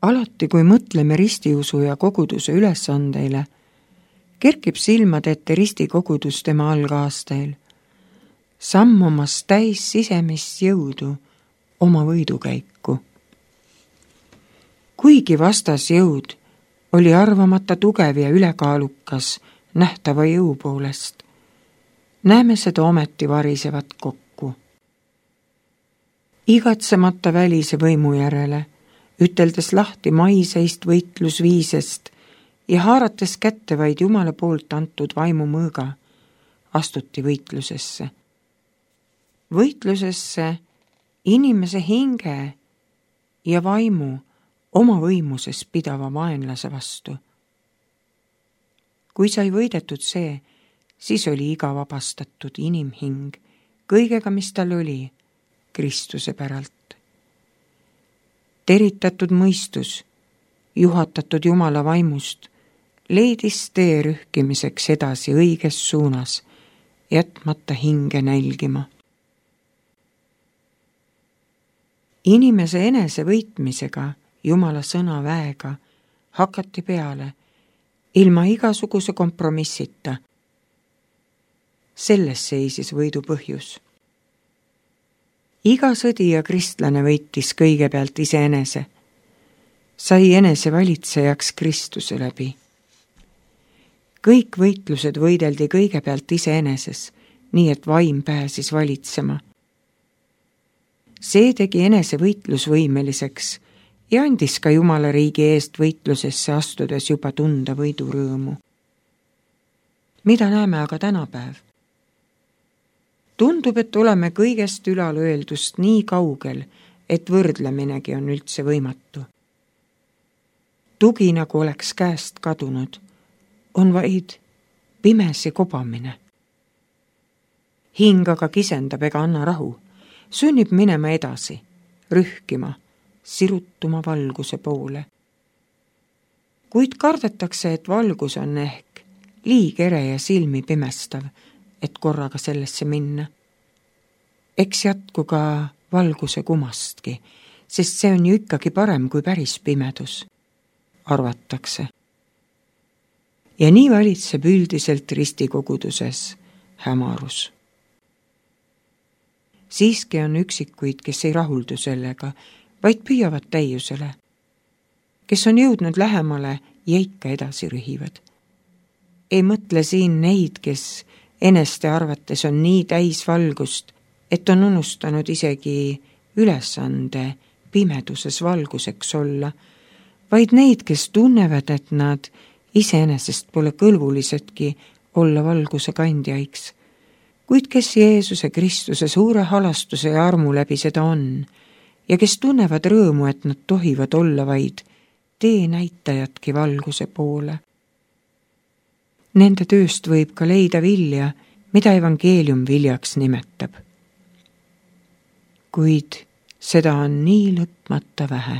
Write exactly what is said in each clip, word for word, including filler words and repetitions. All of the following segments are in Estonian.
Alati, kui mõtleme ristiusu ja koguduse ülesandeile, kerkib silmad ette ristikogudus tema algaastail, sammumas täis sisemist jõudu oma võidukäiku. Kuigi vastasjõud oli arvamata tugev ja ülekaalukas nähtava jõu poolest, näeme seda ometi varisevat kokku. Igatsemata välise võimu järele, üteldes lahti maiseist võitlusviisest ja haarates kätte vaid Jumala poolt antud vaimu mõõga, astuti võitlusesse. Võitlusesse inimese hinge ja vaimu oma võimuses pidava vaenlase vastu. Kui sai võidetud see, siis oli iga vabastatud inimhing kõigega, mis tal oli, Kristuse päralt. Teritatud mõistus, juhatatud Jumala vaimust, leidis tee rühkimiseks edasi õiges suunas, jätmata hinge nälgima. Inimese enese võitmisega, Jumala sõna väega, hakati peale, ilma igasuguse kompromissita. Selles seisis võidu põhjus. Iga sõdija kristlane võitis kõigepealt iseenese, sai enese valitsejaks Kristuse läbi. Kõik võitlused võideldi kõigepealt iseeneses, nii et vaim pääsis valitsema. See tegi enese võitlusvõimeliseks ja andis ka Jumala riigi eest võitlusesse astudes juba tunda võidurõõmu. Mida näeme aga tänapäev? Tundub, et oleme kõigest ülalöeldust nii kaugel, et võrdleminegi on üldse võimatu. Tugi, nagu oleks käest kadunud, on vaid pimesi kobamine. Hing aga kisendab ega anna rahu, sunnib minema edasi, rühkima, sirutuma valguse poole. Kuid kardetakse, et valgus on ehk liig ere ja silmi pimestav, et korraga sellesse minna. Eks jätku ka valguse kumastki, sest see on ju ikkagi parem kui päris pimedus, arvatakse. Ja nii valitseb üldiselt ristikoguduses hämarus. Siiski on üksikuid, kes ei rahuldu sellega, vaid püüavad täiusele. Kes on jõudnud lähemale ja ikka edasi rühivad. Ei mõtle siin neid, kes eneste arvates on nii täis valgust, et on unustanud isegi ülesande pimeduses valguseks olla, vaid neid, kes tunnevad, et nad iseenesest pole kõlbulisedki olla valguse kandjaiks, kuid kes Jeesuse Kristuse suure halastuse ja armu läbi seda on ja kes tunnevad rõõmu, et nad tohivad olla vaid tee näitajatki valguse poole. Nende tööst võib ka leida vilja, mida evangeelium viljaks nimetab. Kuid seda on nii lõpmata vähe.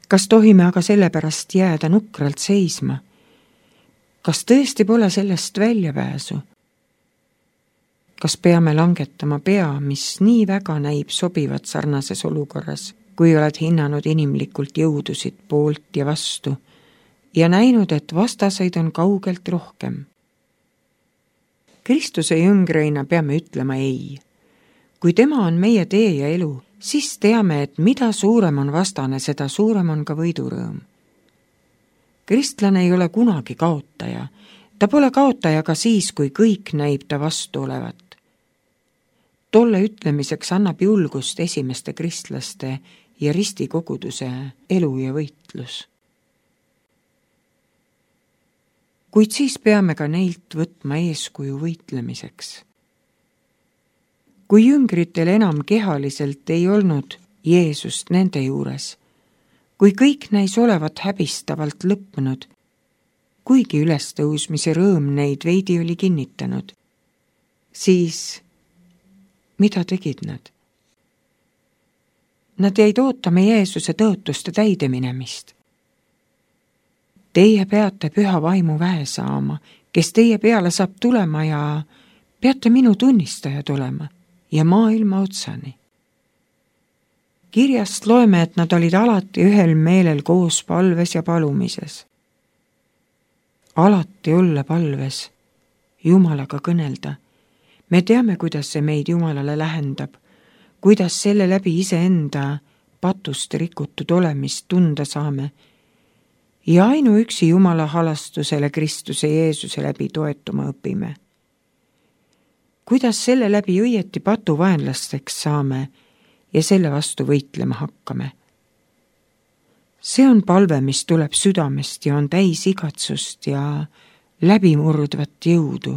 Kas tohime aga sellepärast jääda nukralt seisma? Kas tõesti pole sellest väljapääsu? Kas peame langetama pea, mis nii väga näib sobivat sarnases olukorras, kui oled hinnanud inimlikult jõudusid poolt ja vastu, ja näinud, et vastaseid on kaugelt rohkem? Kristuse jüngreina peame ütlema ei. Kui tema on meie tee ja elu, siis teame, et mida suurem on vastane, seda suurem on ka võidurõõm. Kristlane ei ole kunagi kaotaja. Ta pole kaotaja ka siis, kui kõik näib ta vastu olevat. Tolle ütlemiseks annab julgust esimeste kristlaste ja ristikoguduse elu ja võitlus. Kuid siis peame ka neilt võtma eeskuju võitlemiseks. Kui jüngritel enam kehaliselt ei olnud Jeesust nende juures, kui kõik näis olevat häbistavalt lõppenud, kuigi ülestõusmise rõõm neid veidi oli kinnitanud, siis mida tegid nad? Nad jäid ootama Jeesuse tõotuste täideminemist. Teie peate püha vaimu väe saama, kes teie peale saab tulema ja peate minu tunnistajad olema ja maailma otsani. Kirjast loeme, et nad olid alati ühel meelel koos palves ja palumises. Alati olla palves, Jumalaga kõnelda. Me teame, kuidas see meid Jumalale lähendab, kuidas selle läbi iseenda patust rikutud olemist tunda saame ja ainuüksi Jumala halastusele Kristuse Jeesuse läbi toetuma õpime. Kuidas selle läbi õieti patuvaenlasteks saame ja selle vastu võitlema hakkame. See on palve, mis tuleb südamest ja on täis igatsust ja läbimurdvat jõudu,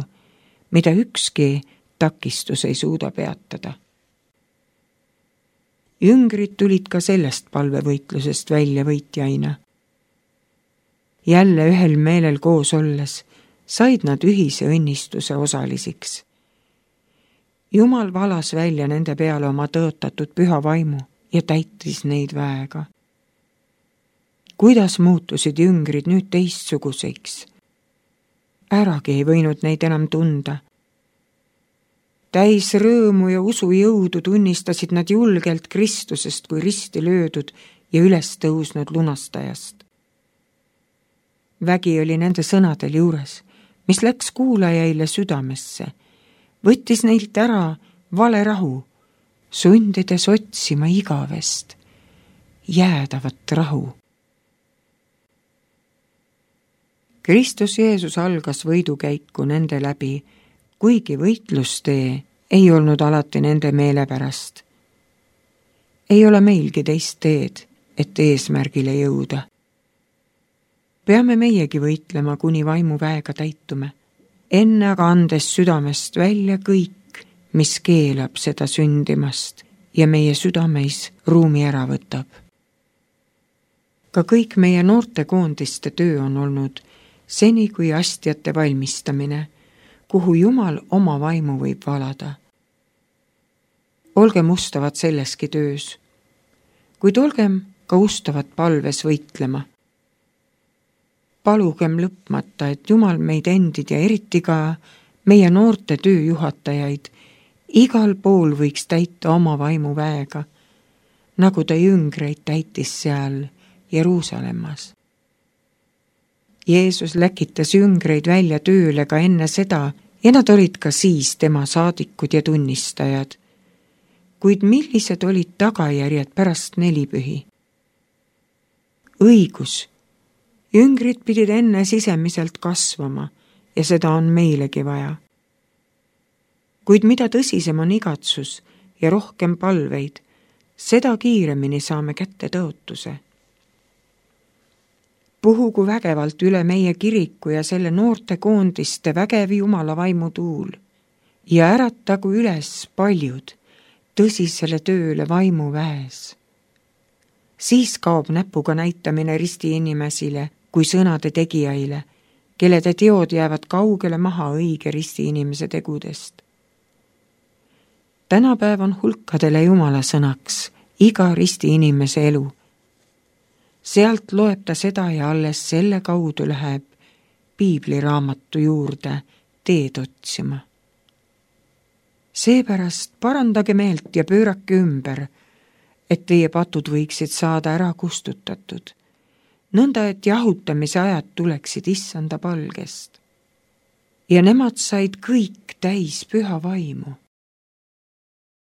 mida ükski takistus ei suuda peatada. Jüngrid tulid ka sellest palvevõitlusest välja võitjaina. Jälle ühel meelel koos olles said nad ühise õnnistuse osalisiks. Jumal valas välja nende peale oma tõotatud püha vaimu ja täitis neid väega. Kuidas muutusid jüngrid nüüd teistsuguseks? Äragi ei võinud neid enam tunda. Täis rõõmu ja usu jõudu tunnistasid nad julgelt Kristusest kui risti löödud ja üles tõusnud lunastajast. Vägi oli nende sõnadel juures, mis läks kuulajaile südamesse, võttis neilt ära vale rahu, sundides otsima igavest, jäädavat rahu. Kristus Jeesus algas võidukäiku nende läbi, kuigi võitlustee ei olnud alati nende meele pärast. Ei ole meilgi teist teed, et eesmärgile jõuda. Peame meiegi võitlema, kuni vaimu väega täitume, enne aga andes südamest välja kõik, mis keelab seda sündimast ja meie südameis ruumi ära võtab. Ka kõik meie noortekoondiste töö on olnud seni kui astjate valmistamine, kuhu Jumal oma vaimu võib valada. Olgem ustavad selleski töös, kuid olgem ka ustavad palves võitlema. Palugem lõpmata, et Jumal meid endid ja eriti ka meie noorte tööjuhatajaid igal pool võiks täita oma vaimu väega, nagu ta jüngreid täitis seal Jeruusalemmas. Jeesus läkitas jüngreid välja tööle ka enne seda ja nad olid ka siis tema saadikud ja tunnistajad. Kuid millised olid tagajärjed pärast nelipühi? Õigus. Jüngrid pidid enne sisemiselt kasvama ja seda on meilegi vaja. Kuid mida tõsisem on igatsus ja rohkem palveid, seda kiiremini saame kätte tõotuse. Puhugu vägevalt üle meie kiriku ja selle noorte koondiste vägev Jumala vaimu tuul ja äratagu üles paljud tõsisele tööle vaimu väes. Siis kaob näpuga näitamine risti inimesile kui sõnade tegijaile, kelle te teod jäävad kaugele maha õige risti inimese tegudest. Tänapäev on hulkadele Jumala sõnaks iga risti inimese elu. Sealt loeb ta seda ja alles selle kaudu läheb piibliraamatu juurde teed otsima. Seepärast parandage meelt ja pöörake ümber, et teie patud võiksid saada ära kustutatud, nõnda et jahutamise ajad tuleksid issanda palgest. Ja nemad said kõik täis püha vaimu